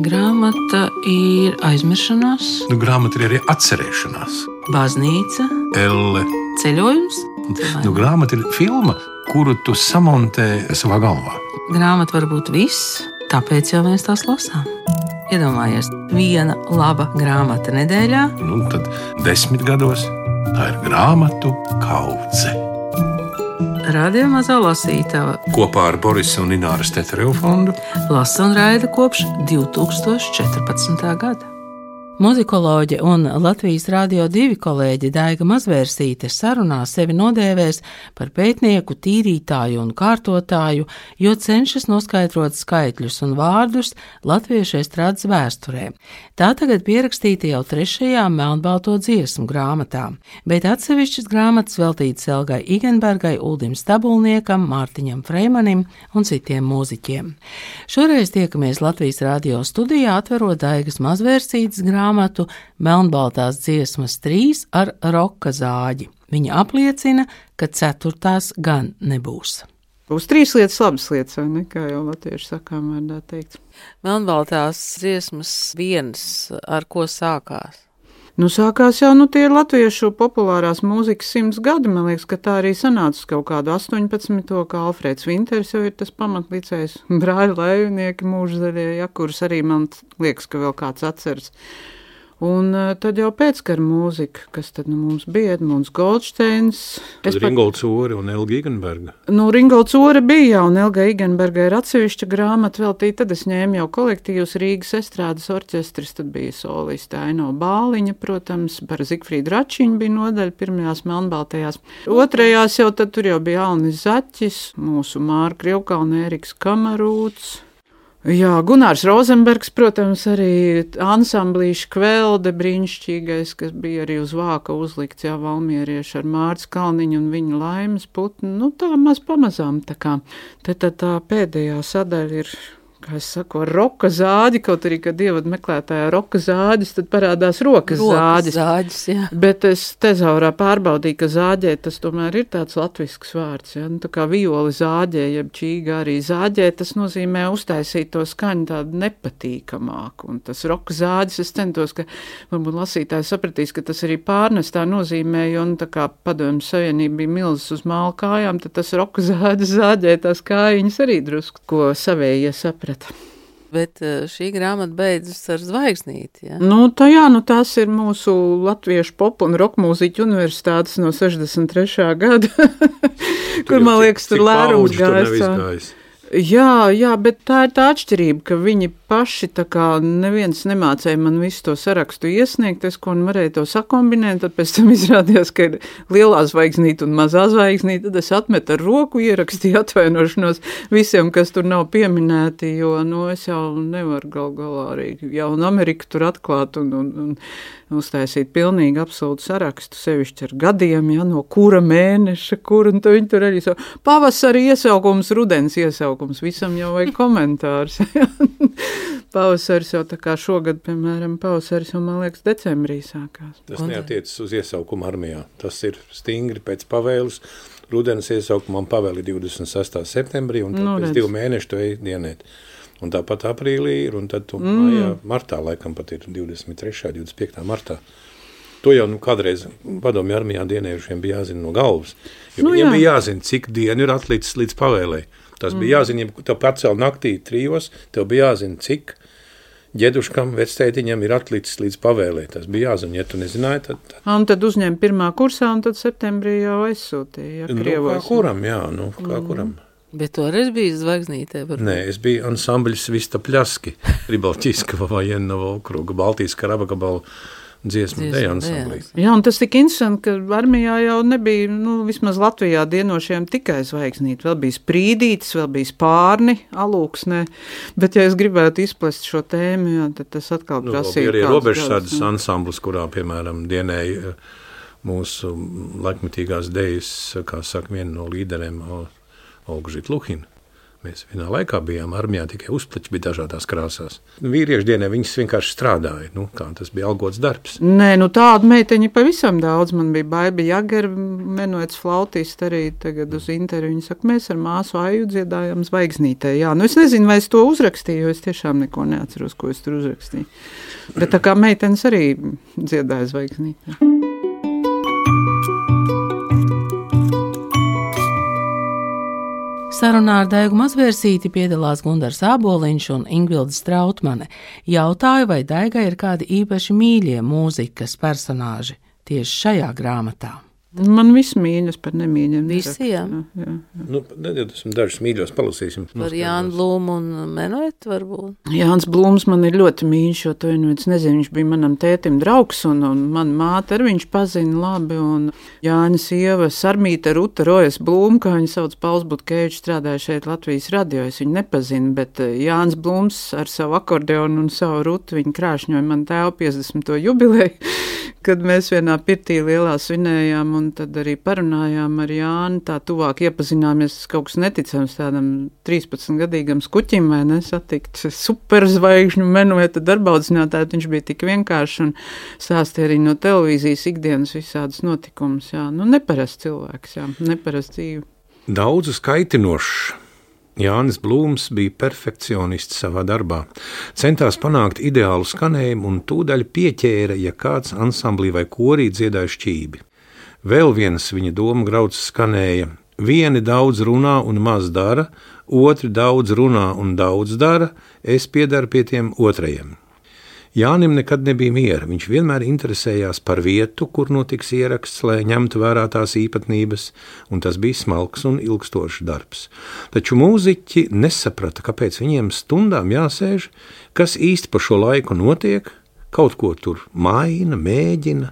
Grāmata ir aizmiršanās, Grāmata ir arī atcerēšanās. baznīca, Elle. ceļojums. Grāmata ir filma, kuru tu samontē savā galvā. Grāmata var būt viss, tāpēc jau mēs tās lasām. Iedomājies, viena laba grāmata nedēļā. Tad 10 gados tā ir grāmatu kaudze. Radio Mazā lasītava Kopā ar Borisa un Ināras Teterevu fondu lasa un raida kopš 2014. gada. Muzikoloģe un Latvijas Rādio 2 kolēģe Daiga Mazvērsīte sarunā sevi nodēvēs par pētnieku, tīrītāju un kārtotāju, jo cenšas noskaidrot skaitļus un vārdus latviešu estrādes vēsturē. Tā tagad pierakstīta jau 3. melnbalto dziesmu grāmatā, bet atsevišķas grāmatas veltītas Elgai Igenbergai, Uldim Stabulniekam, Mārtiņam Freimanim un citiem mūziķiem. Šoreiz tiekamies Latvijas Rādio studijā, atverot Daigas Mazvērsītes grāmatu Melnbaltās dziesmas 3 ar roka zāģi. Viņa apliecina, ka 4. gan nebūs. Būs 3 lietas, labas lietas, vai ne, kā jau latviešu sakām vārdā teikts. Melnbaltās dziesmas 1, ar ko sākās? Sākās jau, tie ir latviešu populārās mūzikas 100 gadi, man liekas, ka tā arī sanāca uz kaut kādu 18. kā Alfrēds Vinters jau ir tas pamatlicējs, brāļi Laivnieki mūžzaļie, ja, kurus arī man liekas, ka vēl kāds atceras. Un tad jau pēckara mūzika, kas tad mums bija, Edmunds Goldsteins. Ringolds Ore un Elga Igenberga. Ringolds Ore bija, un Elga Igenberga ir atsevišķa grāmata veltīta, tad es ņēmu jau kolektīvus Rīgas estrādes orķestris, tad bija soliste Aino Bāliņa, protams, par Zigfrīdu Račiņu bija nodaļa pirmajās melnbaltajās. Otrajās jau tad tur jau bija Alnis Zaķis, mūsu Māra Krievkalna, Ēriks Kamarūts. Jā, Gunārs Rozenbergs, protams, arī ansamblīša Kvelde brīnišķīgais, kas bija arī uz vāka uzlikts, jā, valmierieši ar Mārts Kalniņu un viņa Laimas putnu. Tā maz pamazām tā kā. Tad tā pēdējā sadaļa ir, kā es saku, ar roka zāģi, kaut arī, kad ievada meklētājā roka zāģis, tad parādās rokas zāģis. Jā. Bet es tezaurā pārbaudīju, ka zāģē tas tomēr ir tāds latvisks vārds, ja? Tā kā violi zāģē, jeb čīga arī zāģē, tas nozīmē uztaisīt to skaņu tādu nepatīkamāku. Un tas roka zāģis, es centos, ka varbūt lasītāji sapratīs, ka tas arī pārnestā nozīmē, jo, tā kā Padomju Savienība bija milzas uz māla kājām, tad tas roka zāģis zāģē tās kājiņas arī drusku, ko savējie saprat. Bet šī grāmata beidzas ar zvaigznīti, ja? Tās ir mūsu latviešu pop un rock mūziķu universitātes no 63. gada, kur, man liekas, tur lērums gājis. Jā, bet tā ir tā atšķirība, ka viņi paši tā kā neviens nemācēja man visu to sarakstu iesniegt, es ko varēju to sakombinēt, tad pēc tam izrādījās, ka ir lielā zvaigznīte un mazā zvaigznīte, tad es atmetu ar roku, ierakstīju atvainošanos visiem, kas tur nav pieminēti, jo, es jau nevaru gal galā arī jaunu Ameriku tur atklāt un uztaisīt pilnīgi absolūtu sarakstu, sevišķi ar gadiem, ja, no kura mēneša, un tad viņi tur arī pavasari iesaukums, rudens iesaukums, visam jau vajag komentārs. Pavasaris jau tā kā šogad, piemēram, pavasaris jau, man liekas, decembrī sākās. Tas neatiecas uz iesaukumu armijā. Tas ir stingri pēc pavēles. Rudens iesaukumam pavēli 26. septembrī, un tad pēc 2 mēnešu to ej dienēt. Un tāpat aprīlī ir, un tad mājā, martā laikam pat ir 23. 25. martā. To jau kādreiz Padomju armijā dienējušiem bija jāzina no galvas. Jo viņiem bija jāzina, cik dienu ir atlicis līdz pavēlei. Tas bija jāzina, ja tev pacēl naktī 3, tev bija jāzina, cik ģeduškam, vectētiņam ir atlicis līdz pavēlē. Tas bija jāzina, ja tu nezināji, tad... Un tad uzņēma 1. kursā, un tad septembrī jau aizsūtīja, ja, Krievos. Kā kuram, jā, kā kuram. Bet toreiz bija zvaigznītē? Nē, es biju ansambļs Vista Pļaski, Ribalķiskava Vajennova okruga, Baltijas Karabagabalu dziesmu deju ansamblī. Jā, un tas tik interesanti, ka armijā jau nebija, vismaz Latvijā dienošiem tikai zvaigznīti. Vēl bija Sprīdītis, vēl bija Spārni, Alūksnē, bet ja es gribētu izplest šo tēmu, jā, tad tas atkal prasīja. Bija arī robežsardzes ansamblis, kurā, piemēram, dienēja mūsu laikmetīgās dejas, kā saka, viena no līderiem, Olga Žitluhina. Mēs vienā laikā bijām armijā, tikai uzplaķi bija dažādās krāsās. Vīriešu dienā viņas vienkārši strādāja, kā tas bija algots darbs. Nē, tādu meiteņu pavisam daudz. Man bija Baiba Jagera, menuets flautists arī tagad uz interviju. Viņa saka, mēs ar māsu Aju dziedājām Zvaigznītē. Jā, es nezinu, vai es to uzrakstīju, jo es tiešām neko neatceros, ko es tur uzrakstīju. Bet tā kā meitenes arī dziedāja Zvaigznītē. Sarunā ar Daigu Mazvērsīti piedalās Gundars Āboliņš un Ingvilde Strautmane. Jautāju, vai Daigai ir kādi īpaši mīļie mūzikas personāži tieši šajā grāmatā. Man viss mīļas par nemīļiem. Visiem? Jā. Esmu dažus mīļos palasīsim. Par Jānu Blūmu un Menuetu varbūt? Jānis Blūms man ir ļoti mīļš, jo to es nezinu, viņš bija manam tētim draugs un man māte ar viņš pazina labi. Un Jānis sieva Sarmīta Ruta Rojas Blūma, kā viņa sauc, Pauls Butkevičs, strādāja šeit Latvijas radio, es viņu nepazinu, bet Jānis Blūms ar savu akordeonu un savu Rutu, viņa krāšņoja man tēvu 50. jubileju, kad mēs vienā pirtī lielā svinējām un tad arī parunājām ar Jāni, tā tuvāk iepazināmies, kaut kas neticams tādam 13-gadīgam skuķim, vai nesatikt superzvaigžņu Menueta darbaudzinātāju, viņš bija tik vienkārši un stāstīja arī no televīzijas ikdienas visādas notikumus, jā, neparasts cilvēks, jā, neparasts dzīve. Daudzu skaitinošs. Jānis Blūms bija perfekcionists savā darbā, centās panākt ideālu skanējumu un tūdaļ pieķēra, ja kāds ansamblī vai korī dziedāja šķībi. Vēl viens viņa doma grauds skanēja: vieni daudz runā un maz dara, otri daudz runā un daudz dara, es piedaru pie tiem otrajiem. Jānim nekad nebija miera, viņš vienmēr interesējās par vietu, kur notiks ieraksts, lai ņemtu vērā tās īpatnības, un tas bija smalks un ilgstošs darbs. Taču mūziķi nesaprata, kāpēc viņiem stundām jāsēž, kas īsti pa šo laiku notiek, kaut ko tur maina, mēģina.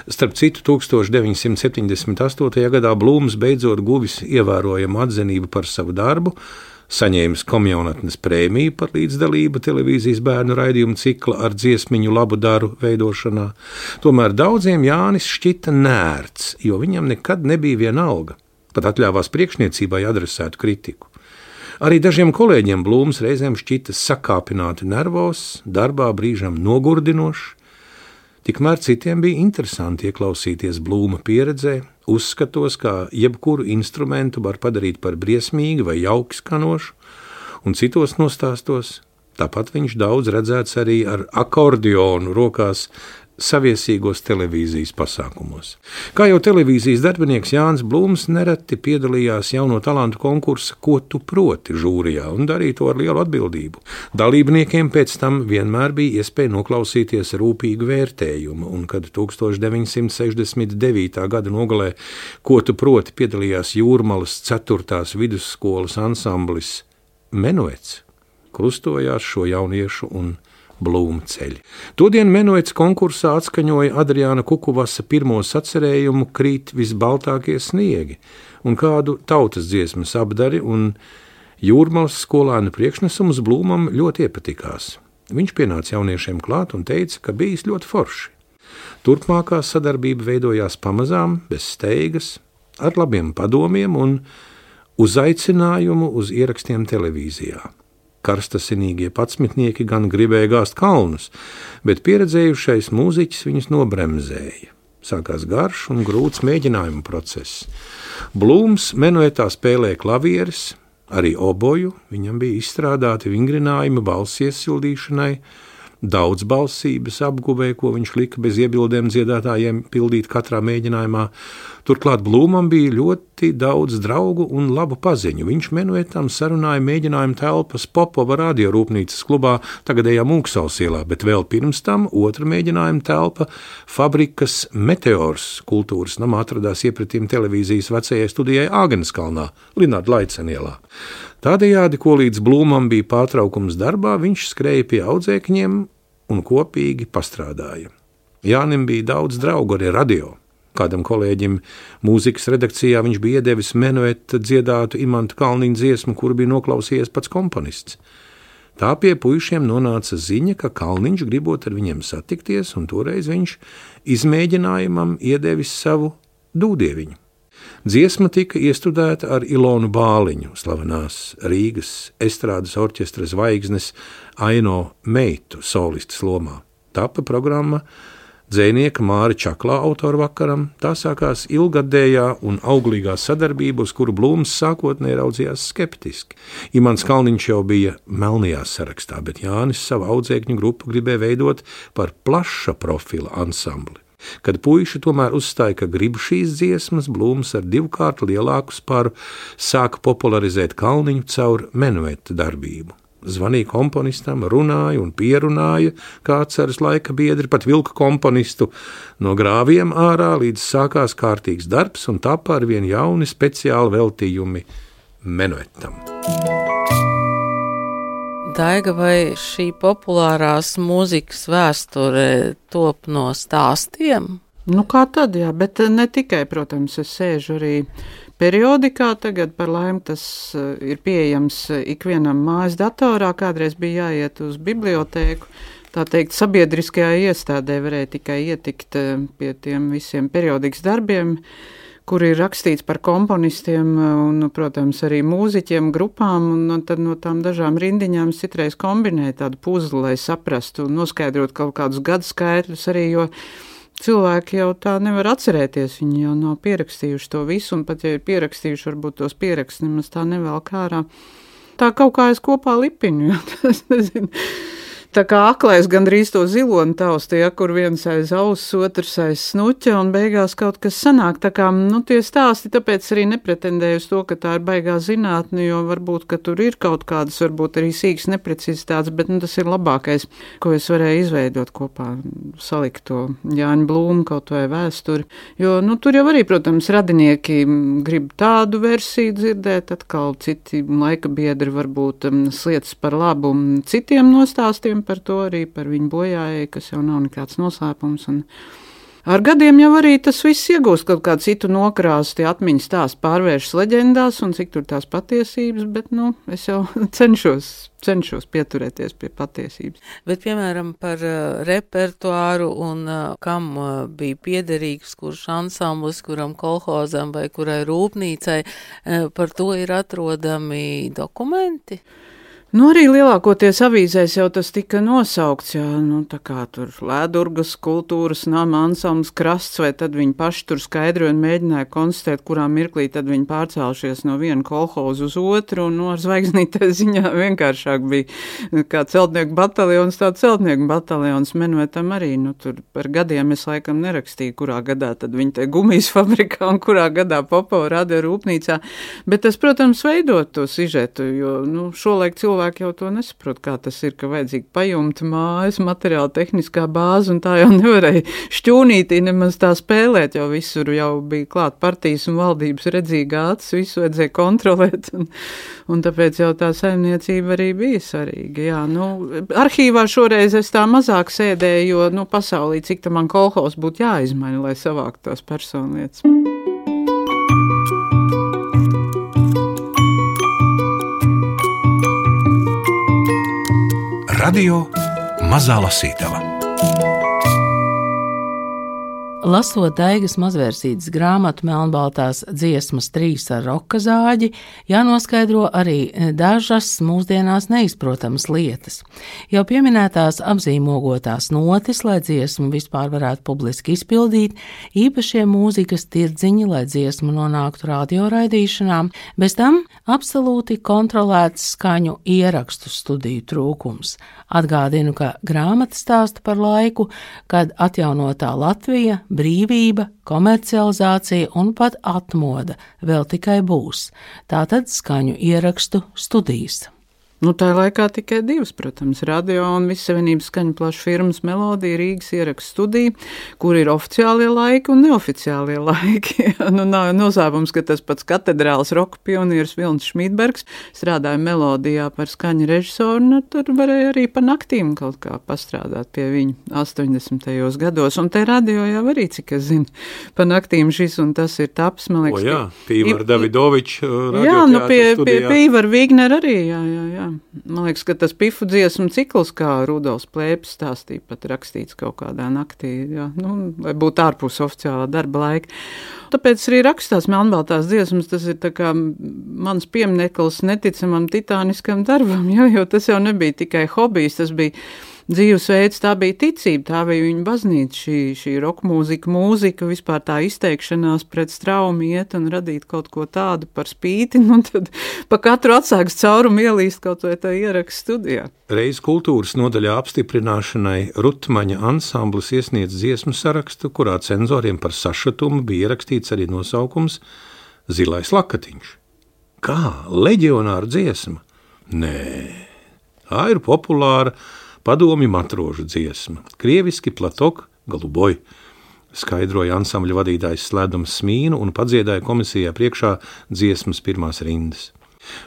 Starp citu, 1978. gadā Blūms beidzot guvis ievērojamu atzinību par savu darbu, saņēmis komjaunatnes prēmiju par līdzdalību televīzijas bērnu raidījumu cikla ar dziesmiņu labu daru veidošanā. Tomēr daudziem Jānis šķita nērts, jo viņam nekad nebija viena alga, pat atļāvās priekšniecībai adresētu kritiku. Arī dažiem kolēģiem Blūms reizēm šķita sakāpināti nervos, darbā brīžam nogurdinošs. Tikmēr citiem bija interesanti ieklausīties Blūma pieredzē, uzskatos, kā jebkuru instrumentu var padarīt par briesmīgu vai jauki skanošu, un citos nostāstos. Tāpat viņš daudz redzēts arī ar akordionu rokās saviesīgos televīzijas pasākumos. Kā jau televīzijas darbinieks Jānis Blūms nereti piedalījās jauno talantu konkursa Ko tu proti žūrijā un darīja to ar lielu atbildību. Dalībniekiem pēc tam vienmēr bija iespēja noklausīties rūpīgu vērtējumu, un kad 1969. gada nogalē Ko tu proti piedalījās Jūrmalas 4. vidusskolas ansamblis Menuets, krustojās šo jauniešu un Blūma ceļi. Todien Menuets konkursā atskaņoja Adriāna Kukuvasa pirmo sacerējumu Krīt visbaltākie sniegi un kādu tautas dziesmas apdari, un Jūrmalas skolēnu priekšnesums Blūmam ļoti iepatikās. Viņš pienāca jauniešiem klāt un teica, ka bijis ļoti forši. Turpmākā sadarbība veidojās pamazām, bez steigas, ar labiem padomiem un uzaicinājumu uz ierakstiem televīzijā. Karstasinīgie patsmitnieki gan gribēja gāzt kalnus, bet pieredzējušais mūziķis viņus nobremzēja. Sākās garš un grūts mēģinājumu process. Blūms Menuetā spēlēja klavieres, arī oboju, viņam bija izstrādāti vingrinājumi balss iesildīšanai, daudzbalsības apguvē, ko viņš lika bez iebildēm dziedātājiem pildīt katrā mēģinājumā. Turklāt Blūmam bija ļoti daudz draugu un labu paziņu. Viņš Menuetam sarunāja mēģinājumu telpas Popova radiorūpnīcas klubā tagadējā Mūksals ielā, bet vēl pirms tam otra mēģinājuma telpa fabrikas Meteors kultūras namā atradās iepratīm televīzijas vecajai studijai Āgenskalnā, Linārda Laicena ielā. Tādējādi, ko līdz Blūmam bija pārtraukums darbā, viņš skrēja pie audzēkņiem un kopīgi pastrādāja. Jānim bija daudz draugu arī radio. Kādam kolēģim mūzikas redakcijā viņš bija iedevis Menueta dziedātu Imanta Kalniņa dziesmu, kuru bija noklausījies pats komponists. Tā pie puišiem nonāca ziņa, ka Kalniņš gribot ar viņiem satikties, un toreiz viņš izmēģinājumam iedevis savu dūdieviņu. Dziesma tika iestudēta ar Ilonu Bāliņu, slavenās Rīgas estrādes orķestra zvaigznes Aino meitu solistas lomā. Tapa programma dzejnieka Māra Čaklā autorvakaram. Tā sākās ilgadējā un auglīgā sadarbība, uz kuru Blūms sākotnēji raudzījās skeptiski. Imants Kalniņš jau bija melnajā sarakstā, bet Jānis savu audzēkņu grupu gribēja veidot par plaša profila ansambli. Kad puiši tomēr uzstāja, ka grib šīs dziesmas, Blūms ar 2 kārtu lielāku sparu sāka popularizēt Kalniņu caur menueta darbību. Zvanīja komponistam, runāja un pierunāja, kā atceras laika biedri, pat vilka komponistu no grāviem ārā, līdz sākās kārtīgs darbs un tapa ar vien jauni speciāli veltījumi menuetam. Daiga, vai šī populārās mūzikas vēsture top no stāstiem? Nu kā tad, jā, bet ne tikai, protams, es sēžu arī periodikā, tagad par laimi tas ir pieejams ikvienam mājas datorā, kādreiz bija jāiet uz bibliotēku, tā teikt, sabiedriskajā iestādē varēja tikai ietikt pie tiem visiem periodikas darbiem, kur ir rakstīts par komponistiem un, protams, arī mūziķiem, grupām, un tad no tām dažām rindiņām citreiz kombinēja tādu puzli, lai saprastu un noskaidrot kaut kādus gadskaitļus arī, jo cilvēki jau tā nevar atcerēties, viņi jau nav pierakstījuši to visu, un pat ja ir pierakstījuši, varbūt tos pieraksts nemaz tā nevelk ārā. Tā kaut kā es kopā lipiņu, jo tas nezinu. Tā kā aklais gandrīz to ziloni taustīja, kur viens aiz auss, otrs aiz snuķa, un beigās kaut kas sanāk. Tā kā, tie stāsti, tāpēc arī nepretendēju uz to, ka tā ir baigā zinātne, jo varbūt, ka tur ir kaut kādas, varbūt arī sīkas neprecizitātes, bet tas ir labākais, ko es varēju izveidot kopā, salikt to Jāņa Blūma kaut vai vēsturi. Jo, tur jau arī, protams, radinieki grib tādu versiju dzirdēt, atkal citi laika biedri varbūt slietas par labu citiem nostāstiem, par to arī par viņu bojājai, kas jau nav nekāds noslēpums. Un ar gadiem jau arī tas viss iegūst kaut kādu citu nokrāsu, tie atmiņas stāsti pārvēršas leģendās un cik tur tās patiesības, bet, es jau cenšos pieturēties pie patiesības. Bet, piemēram, par repertuāru un kam bija piederīgs, kurš ansamblis, kuram kolhozam vai kurai rūpnīcai, par to ir atrodami dokumenti? Arī lielākoties avīzēs jau tas tika nosaukts, jā, tā kā tur Lēdurgas kultūras nama ansamblis Krasts, vai tad viņi paši tur skaidroja un mēģināja konstatēt, kurā mirklī tad viņi pārcēlušies no viena kolhoza uz otru, un ar zvaigznītē ziņā vienkāršāk bija kā celtnieku bataljons, tā celtnieku bataljons menuetam arī, tur par gadiem es laikam nerakstīju, kurā gadā tad viņi te gumijas fabrikā un kurā gadā Popova radio rūpnīcā, bet tas, protams, veidot to sižetu, jo, šolaik cilvēki jau to nesaprot, kā tas ir, ka vajadzīgi pajumta mājas, materiāla tehniskā bāze, un tā jau nevarēja šķūnītī nemaz tā spēlēt, jo visur jau bija klāt partijas un valdības redzīgā acis, visu vajadzēja kontrolēt, un tāpēc jau tā saimniecība arī bija svarīga. Jā, arhīvā šoreiz es tā mazāk sēdēju, jo, pasaulī, cik tā man kolhos būtu jāizmaina, lai savāktu tās personlietas. Radio Mazā Lasītava. Lasot Daigas Mazvērsītes grāmatu Melnbaltās dziesmas 3 ar roka zāģi, jānoskaidro arī dažas mūsdienās neizprotamas lietas. Jau pieminētās apzīmogotās notis, lai dziesmu vispār varētu publiski izpildīt, īpašie mūzikas tirdziņi, lai dziesmu nonāktu radioraidīšanām, bez tam absolūti kontrolēts skaņu ierakstu studiju trūkums. Atgādinu, ka grāmata stāsta par laiku, kad atjaunotā Latvija, brīvība, komercializācija un pat atmoda vēl tikai būs. Tātad skaņu ierakstu studijas. Tā laikā tikai 2, protams, radio un Vissavienības skaņu plašu firmas Melodija Rīgas ierakstu studija, kur ir oficiālie laiki un neoficiālie laiki. Nav noslēpums, ka tas pats katedrāls roka pionieris Vilnis Šmīdbergs strādāja Melodijā par skaņu režisoru, tur varēja arī pa naktīm kaut kā pastrādāt pie viņa 80. gados. Un te radio jau arī, cik es zinu, pa naktīm šis un tas ir taps, man liekas. Pīvar Davidovičs radioteātra studijā. Pie Pīvar Vigner arī, jā. Man liekas, ka tas pifu dziesmu cikls, kā Rudolfs Plēpis stāstīja, pat rakstīts kaut kādā naktī, jā, lai būtu ārpus oficiālā darba laika. Tāpēc arī rakstās melnbaltās dziesmas, tas ir tā kā mans piemineklis neticamam titāniskam darbam, jo tas jau nebija tikai hobijs, tas bija dzīvesveids, tā bija ticība, tā bija viņa baznīca, šī rokmūzika, vispār tā izteikšanās pret straumu iet un radīt kaut ko tādu par spīti, un tad pa katru atsāks caurumu ielīst kaut vai tā ierakstu studijā. Reiz kultūras nodaļā apstiprināšanai Rutmaņa ansamblis iesniedz dziesmu sarakstu, kurā cenzoriem par sašutumu bija ierakstīts arī nosaukums Zilais lakatiņš. Kā? Leģionāra dziesma? Nē, tā ir populāra padomju matrožu dziesma. Krieviski platok galuboj, skaidroja ansambļa vadītājs Slēdums Smīnu un padziedāja komisijā priekšā dziesmas pirmās rindas.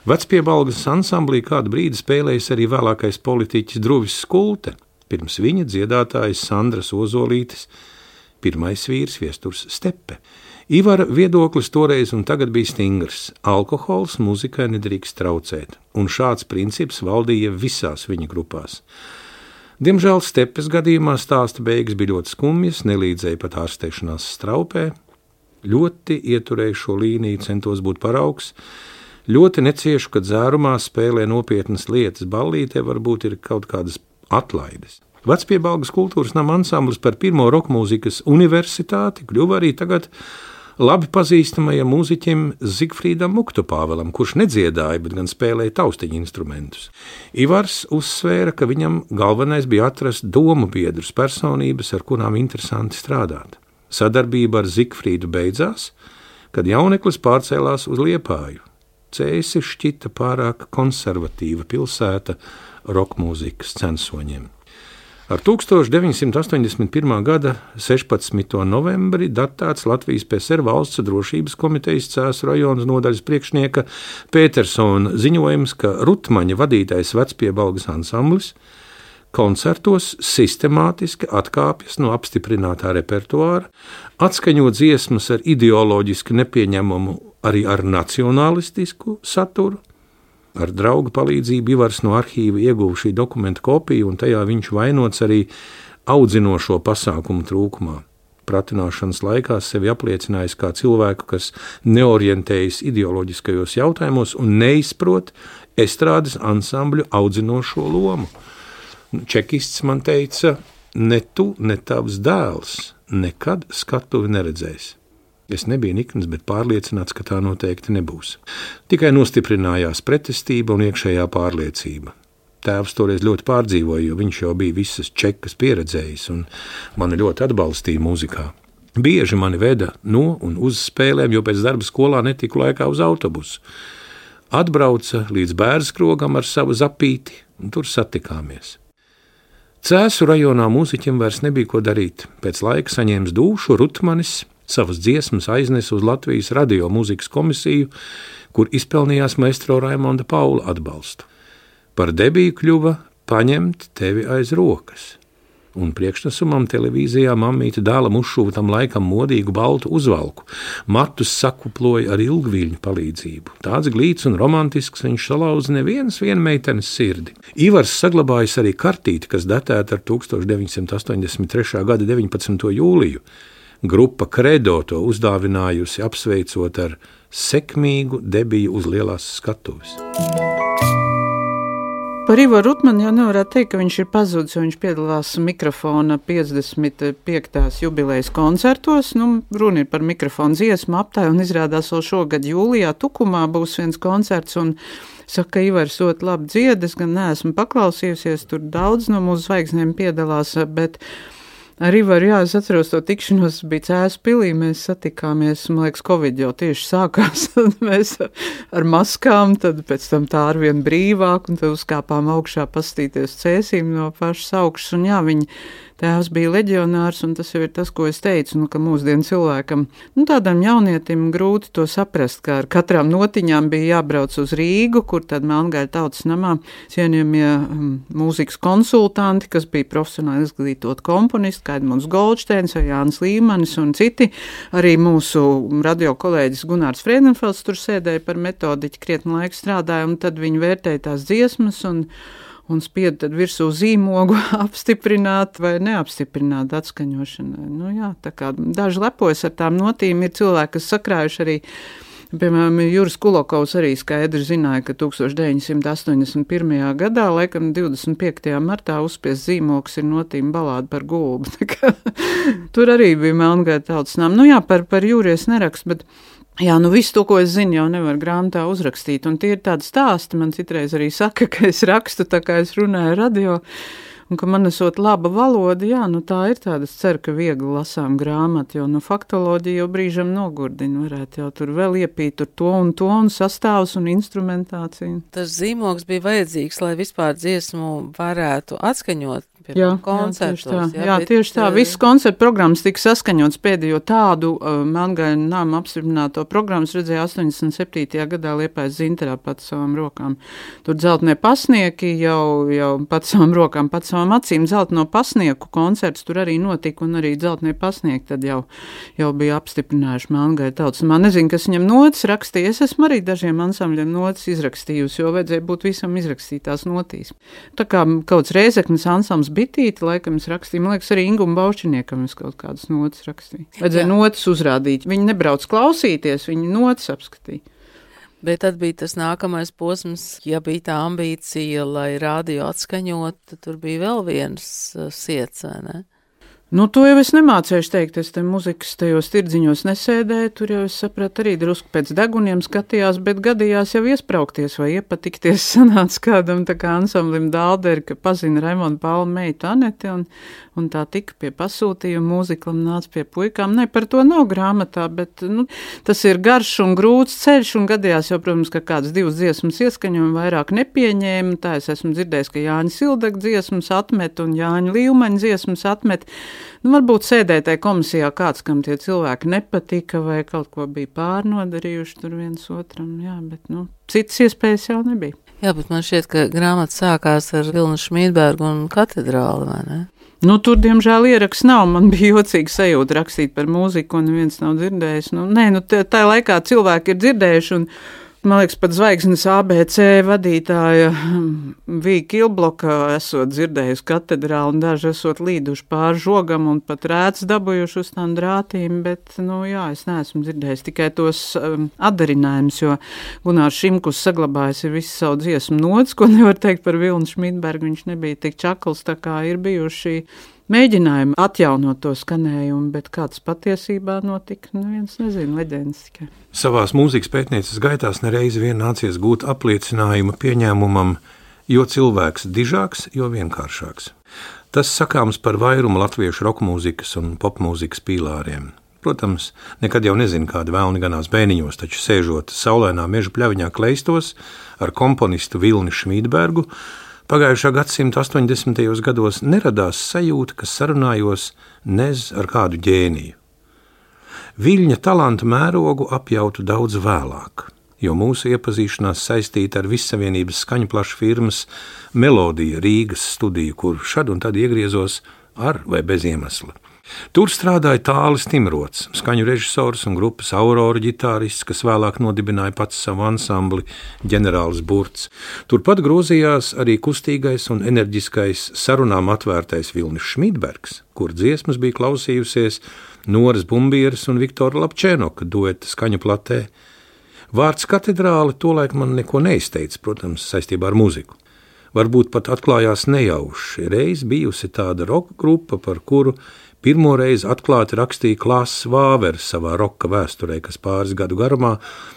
Vecpiebalgas ansamblī kādu brīdi spēlējis arī vēlākais politiķis Druvis Skulte, pirms viņa dziedātājs Sandras Ozolītes, pirmais vīrs Viesturs Stepe. Ivara viedoklis toreiz un tagad bija stingrs. Alkohols muzikai nedrīkst traucēt, un šāds princips valdīja visās viņa grupās. Diemžēl Stepes gadījumā stāsta beigas bija ļoti skumjas, nelīdzēja pat ārstēšanās straupē, ļoti ieturēju šo līniju, centos būt paraugs, ļoti neciešu, kad dzērumā spēlē nopietnas lietas, ballītē varbūt ir kaut kādas atlaides. Vecpiebalgas kultūras nama ansamblis par pirmo rokmūzikas universitāti kļuva arī tagad labi pazīstamajam mūziķim Zigfrīdam Muktupāvelam, kurš nedziedāja, bet gan spēlēja taustiņu instrumentus. Ivars uzsvēra, ka viņam galvenais bija atrast domu biedrus, personības, ar kurām interesanti strādāt. Sadarbība ar Zigfrīdu beidzās, kad jauneklis pārcēlās uz Liepāju. Cēsi šķita pārāk konservatīva pilsēta rokmūzikas censoņiem. Ar 1981. gada 16. novembri datēts Latvijas PSR valsts drošības komitejas Cēsu rajonas nodaļas priekšnieka Pētersona ziņojums, ka Rutmaņa vadītais Vecpiebalgas ansamblis koncertos sistemātiski atkāpjas no apstiprinātā repertuāra, atskaņo dziesmas ar ideoloģiski nepieņemamu, arī ar nacionalistisku saturu. Ar draugu palīdzību Ivars no arhīva ieguva šī dokumenta kopiju, un tajā viņš vainots arī audzinošo pasākumu trūkumā. Pratināšanas laikā sevi apliecinājis kā cilvēku, kas neorientējas ideoloģiskajos jautājumos un neizprot estrādes ansambļu audzinošo lomu. Čekists man teica, ne tu, ne tavs dēls nekad skatuvi neredzēs. Es nebiju nikns, bet pārliecināts, ka tā noteikti nebūs. Tikai nostiprinājās pretestība un iekšējā pārliecība. Tēvs toreiz ļoti pārdzīvoja, jo viņš jau bija visas čekas pieredzējis un mani ļoti atbalstīja mūzikā. Bieži mani veda no un uz spēlēm, jo pēc darba skolā netiku laikā uz autobusu. Atbrauca līdz Bērzkrogam ar savu zapīti un tur satikāmies. Cēsu rajonā mūziķim vairs nebija ko darīt. Pēc laika saņēmis dūšu Rutmanis, savas dziesmas aiznesa uz Latvijas radio mūzikas komisiju, kur izpelnījās maestro Raimonda Paula atbalstu. Par debiju kļuva Paņemt tevi aiz rokas, un priekšnesumam televīzijā mammīte dēlam uzšuva tam laikam modīgu baltu uzvalku, matus sakuploja ar ilgviļņu palīdzību. Tāds glīts un romantisks viņš salauza nevienas meitenes sirdi. Ivars saglabājis arī kartīti, kas datēta ar 1983. gada 19. jūliju. Grupa Kredo to uzdāvinājusi, apsveicot ar sekmīgu debiju uz lielās skatuves. Par Ivaru Rutmani jau nevarētu teikt, ka viņš ir pazudis, jo viņš piedalās mikrofona 55. jubilejas koncertos. Runa ir par mikrofonu dziesmu aptāju, un izrādās vēl šogad jūlijā Tukumā būs viens koncerts, un saka, ka Ivars ļoti labi dzied, es gan neesmu paklausījusies, tur daudz no mūsu zvaigznēm piedalās, bet ar Ivaru, jā, es atceros to tikšanos, bija Cēsu pilī, mēs satikāmies, man liekas, Covid jau tieši sākās, tad mēs ar maskām, tad pēc tam tā arvien brīvāk, un tad uzkāpām augšā pastīties Cēsīm no pašas augšas, un jā, viņi tēvs bija leģionārs, un tas jau ir tas, ko es teicu, ka mūsdienu cilvēkam, tādam jaunietim grūti to saprast, ka ar katrām notiņām bija jābrauc uz Rīgu, kur tad Melngaļa tautas namā cienījamie mūzikas konsultanti, kas bija profesionāli izglītot komponisti, kā Edmunds Goldsteins vai Jānis Līmanis un citi. Arī mūsu radio kolēģis Gunārs Friedenfelds tur sēdēja par metodiķi, krietni laiku strādāja, un tad viņi vērtēja tās dziesmas un spieda tad virsū zīmogu apstiprināt vai neapstiprināt atskaņošanai. Jā, tā kā daži lepojas ar tām notīm, ir cilvēki, kas sakrājuši arī. Piemēram, Juris Kulokovs arī skaidri zināja, ka 1981. gadā, laikam 25. martā uzspies zīmogs ir notīm balāda par gulbu. Tur arī bija Melngaļa tautas nama. Jā, par Juri es nerakstu, bet jā, visu to, ko es zinu, jau nevar grāmatā uzrakstīt. Un tie ir tādi stāsti, man citreiz arī saka, ka es rakstu tā kā es runāju radio. Un ka man esot laba valoda, jā, tā ir tāda, es ceru, ka viegli lasām grāmatu, jo faktoloģija jau brīžam nogurdina, varētu jau tur vēl iepīt tur to un sastāvus un instrumentāciju. Tas zīmogs bija vajadzīgs, lai vispār dziesmu varētu atskaņot. Koncertos. Jā, tieši tā. Visas koncertu programmas tika saskaņots pēdējo tādu Melngaļa nama apstiprināto programmas redzēja 87. gadā Liepājas Zinterā pat savām rokām. Tur dzeltenie pasnieki jau pat savām rokām, pat savām acīm. Dzelteno pasnieku koncerts tur arī notika, un arī dzeltenie pasnieki tad jau bija apstiprinājuši Melngaļa tautas namā. Nezinu, kas viņam notis rakstīja. Es esmu arī dažiem ansambļiem notis izrakstījusi, jo vajadzēja būt visam izrakstītās notīs. Tā kā kauts Rēzeknes ansambls Bitīti, laikam es rakstīju, man liekas, arī Ingum Baušķiniekam es kaut kādas notas rakstīju. Vajadzēja notas uzrādīt. Viņi nebrauc klausīties, viņi notas apskatīja. Bet tad bija tas nākamais posms, ja bija tā ambīcija, lai radio atskaņot, tur bija vēl viens siets, vai ne? To jau es nemācēju teikt, es te muzikas tajos tirdziņos nesēdēju, tur jau es sapratu arī drusku pēc deguniem skatījās, bet gadījās jau iespraukties vai iepatikties sanāca kādam tā kā ansamblim Dālderi, ka pazina Raimonda Paula meitu Aneti un tā tika pie pasūtījuma, mūziklam nāca pie puikām. Ne, par to nav grāmatā, bet tas ir garš un grūts ceļš un gadījās jau, protams, ka kādas divas dziesmas ieskaņojumi vairāk nepieņēma, tā es esmu dzirdējis, ka Jāņa Sildeka dziesmas atmet un Jāņa Līumaņa dziesmas atmet. Varbūt sēdēja tajā komisijā kāds, kam tie cilvēki nepatika vai kaut ko bija pārnodarījuši tur viens otram, jā, bet, citas iespējas jau nebija. Jā, bet man šķiet, ka grāmata sākās ar Vilnu Šmīdbergu un katedrāli, vai ne? Tur, diemžēl, ieraksts nav. Man bija jocīga sajūta rakstīt par mūziku, un neviens nav dzirdējis. Tā laikā cilvēki ir dzirdējuši, un man liekas, pat Zvaigznes ABC vadītāja Vīja Kilbloka esot dzirdējusi katedrāli, un daži esot līduši pār žogam un pat rēts dabūjuši uz tām drātīm, bet, jā, es neesmu dzirdējis tikai tos atdarinājumus, jo Gunārs Šimkus saglabājis ir visu savu dziesmu nots, ko nevar teikt par Vilnu Šmīdbergu, viņš nebija tik čakls, tā kā ir bijuši mēģinājumi atjaunot to skanējumu, bet kāds patiesībā notika, neviens nezina, leģendas tikai. Savās mūzikas pētnieces gaitās nereizi vien nācies gūt apliecinājumu pieņēmumam, jo cilvēks dižāks, jo vienkāršāks. Tas sakāms par vairumu latviešu rokmūzikas un popmūzikas pīlāriem. Protams, nekad jau nezinu, kādi vēlni ganās bēniņos, taču sēžot saulēnā meža pļaviņā kleistos ar komponistu Vilni Šmīdbergu, pagājušā gadsimta 80. gados neradās sajūta, ka sarunājos nez ar kādu ģēniju. Viļņa talanta mērogu apjautu daudz vēlāk, jo mūsu iepazīšanās saistīta ar Vissavienības skaņplašu firmas Melodija Rīgas studiju, kur šad un tad iegriezos ar vai bez iemesla. Tur strādāja Tālis Timrots, skaņu režisors un grupas Aurora ģitārists, kas vēlāk nodibināja pats savu ansambli Ģenerālis Burts. Turpat grozījās arī kustīgais un enerģiskais sarunām atvērtais Vilnis Šmīdbergs, kur dziesmas bija klausījusies Noras Bumbieras un Viktora Lapčēnoka dueta skaņu platē. Vārds katedrāle tolaik man neko neizteica, protams, saistībā ar muziku. Varbūt pat atklājās nejauši. Reiz bijusi tāda roka grupa, par kuru pirmo reizi atklāti rakstīja Klāss Vāvers savā roka vēsturē, kas pāris gadu garumā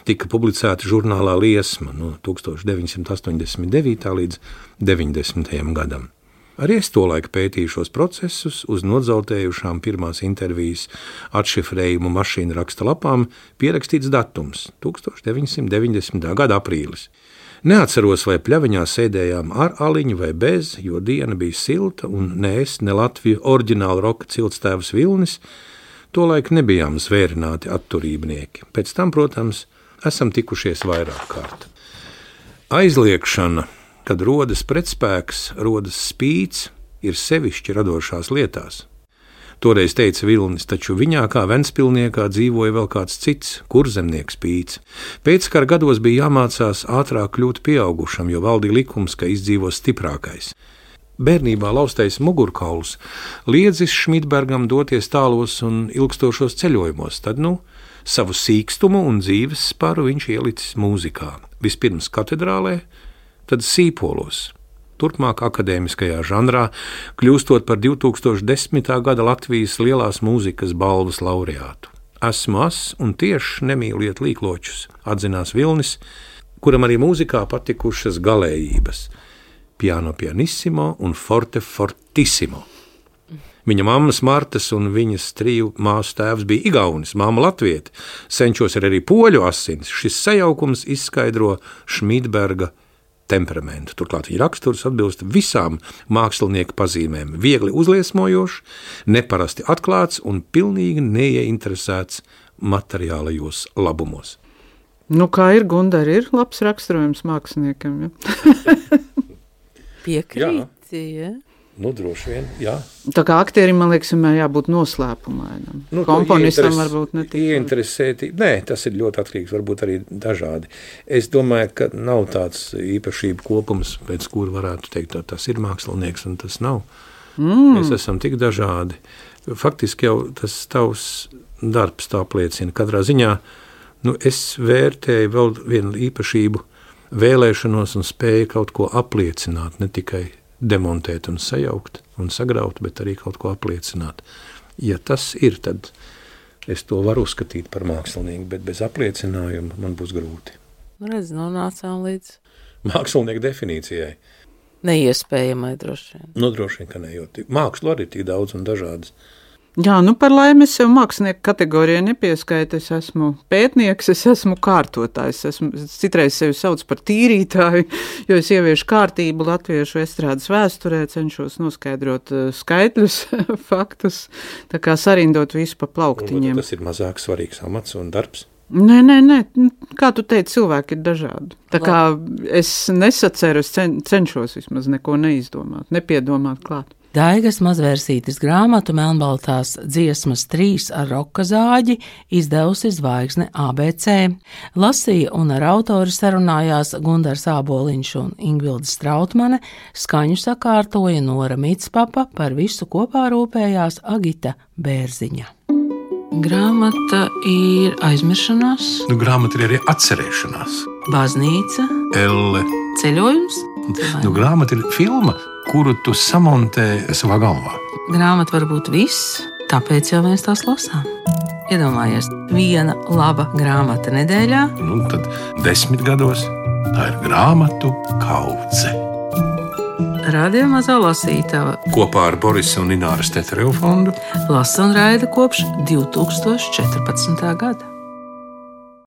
tika publicēta žurnālā Liesma no 1989. līdz 90. gadam. Arī es tolaik pētīju šos procesus, uz nodzeltējušām pirmās intervijas atšifrējumu mašīnu raksta lapām pierakstīts datums – 1990. gada aprīlis. Neatceros, vai pļaviņā sēdējām ar aliņu vai bez, jo diena bija silta, un ne es, ne Latviju oriģināla roka ciltstēvs Vilnis tolaik nebijām zvērināti atturībnieki. Pēc tam, protams, esam tikušies vairāk kārt. Aizliekšana, kad rodas pretspēks, rodas spīts, ir sevišķi radošās lietās. Toreiz teica Vilnis, taču viņā kā Ventspilniekā dzīvoja vēl kāds cits, kurzemnieks Pīts. Pēckara gados bija jāmācās ātrāk kļūt pieaugušam, jo valdīja likums, ka izdzīvo stiprākais. Bērnībā laustais mugurkauls liedzis Šmidbergam doties tālos un ilgstošos ceļojumos, tad, savu sīkstumu un dzīves sparu viņš ielicis mūzikā. Vispirms katedrālē, tad sīpolos. Turpmāk akadēmiskajā žanrā, kļūstot par 2010. gada Latvijas lielās mūzikas balvas laureātu. Esmu un tieši nemīliet līkločus, atzinās Vilnis, kuram arī mūzikā patikušas galējības – piano pianissimo un forte fortissimo. Viņa mammas Martas un viņas 3 māsu tēvs bija igaunis, mamma latvieti, senčos ir arī poļu asins. Šis sajaukums izskaidro Šmidberga temperamentu. Turklāt viņa raksturs atbilst visām mākslinieka pazīmēm. Viegli uzliesmojošs, neparasti atklāts un pilnīgi neieinteresēts materiālajos labumos. Kā ir, Gundar, ir labs raksturojums māksliniekam, ja? Piekrīti, ja? Droši vien, jā. Tā kā aktierim, man liekas, vienmēr jābūt noslēpumainam. Komponistam varbūt netik. Ieinteresēti, tas ir ļoti atkarīgs, varbūt arī dažādi. Es domāju, ka nav tāds īpašību kopums, pēc kura varētu teikt, tas ir mākslinieks un tas nav. Mēs esam tik dažādi. Faktiski jau tas tavs darbs tā apliecina. Katrā ziņā, es vērtēju vēl vienu īpašību vēlēšanos un spēju kaut ko apliecināt, ne tikai demontēt un sajaukt un sagraut, bet arī kaut ko apliecināt. Ja tas ir, tad es to varu uzskatīt par mākslinieku, bet bez apliecinājuma man būs grūti. Redz, nonācām līdz mākslinieku definīcijai. Neiespējamai droši vien. Droši vien, ka ne, jo mākslu arī tik daudz un dažādas. Jā, par laimi es sev mākslinieku kategorijai nepieskaitu, es esmu pētnieks, es esmu kārtotājs, citreiz sevi sauc par tīrītāju, jo es ieviešu kārtību latviešu estrādes vēsturē, cenšos noskaidrot skaitļus, faktus, tā kā sarindot visu pa plauktiņiem. Tas ir mazāk svarīgs amats un darbs? Nē, kā tu teici, cilvēki ir dažādi. Tā kā es nesaceru, es cenšos vismaz neko neizdomāt, nepiedomāt klāt. Daigas Mazvērsītes grāmatu Melnbaltās dziesmas 3 ar roka zāģi izdevusi Zvaigzne ABC. Lasīja un ar autori sarunājās Gundars Āboliņš un Ingvilde Strautmane, skaņu sakārtoja Nora Mitspapa, par visu kopā rūpējās Agita Bērziņa. Grāmata ir aizmiršanās. Grāmata ir arī atcerēšanās. Baznīca. Elle. Ceļojums. Grāmata ir filma, kuru tu samontē savā galvā. Grāmata var būt viss, tāpēc jau mēs tās lasām. Iedomājies, viena laba grāmata nedēļā. Tad 10 gados tā ir grāmatu kaudze. Radio Mazā lasītava kopā ar Borisa un Ināras Tetereva fondu lasa un raida kopš 2014. gada.